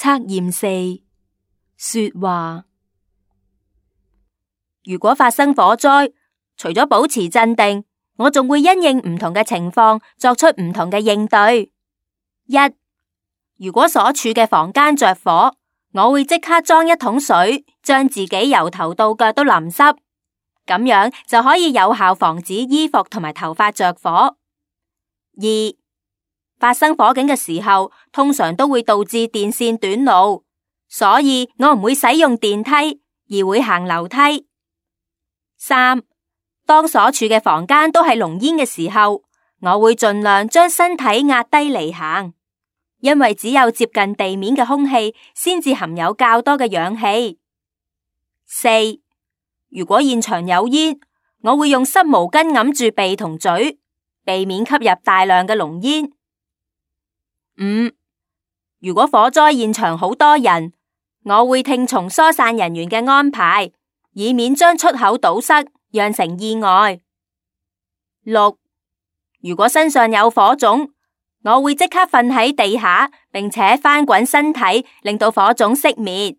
測驗4，說話。如果發生火災，除咗保持鎮定，我仲會因應唔同嘅情況作出唔同嘅應對。1. 如果所處嘅房間着火，我會即刻裝一桶水，將自己由頭到腳都淋濕，咁樣就可以有效防止衣服同埋頭髮着火。2. 發生火警嘅時候，通常都會導致電線短路，所以我唔會使用電梯，而會行樓梯。3. 當所處嘅房間都係濃煙嘅時候，我會盡量將身體壓低嚟行，因為只有接近地面嘅空氣先至含有較多嘅氧氣。4. 如果現場有煙，我會用濕毛巾揞住鼻同嘴，避免吸入大量嘅濃煙。5. 如果火災現場好多人，我會聽從疏散人員嘅安排，以免將出口堵塞，釀成意外。6. 如果身上有火種，我會即刻瞓喺地下，並且翻滾身體，令到火種熄滅。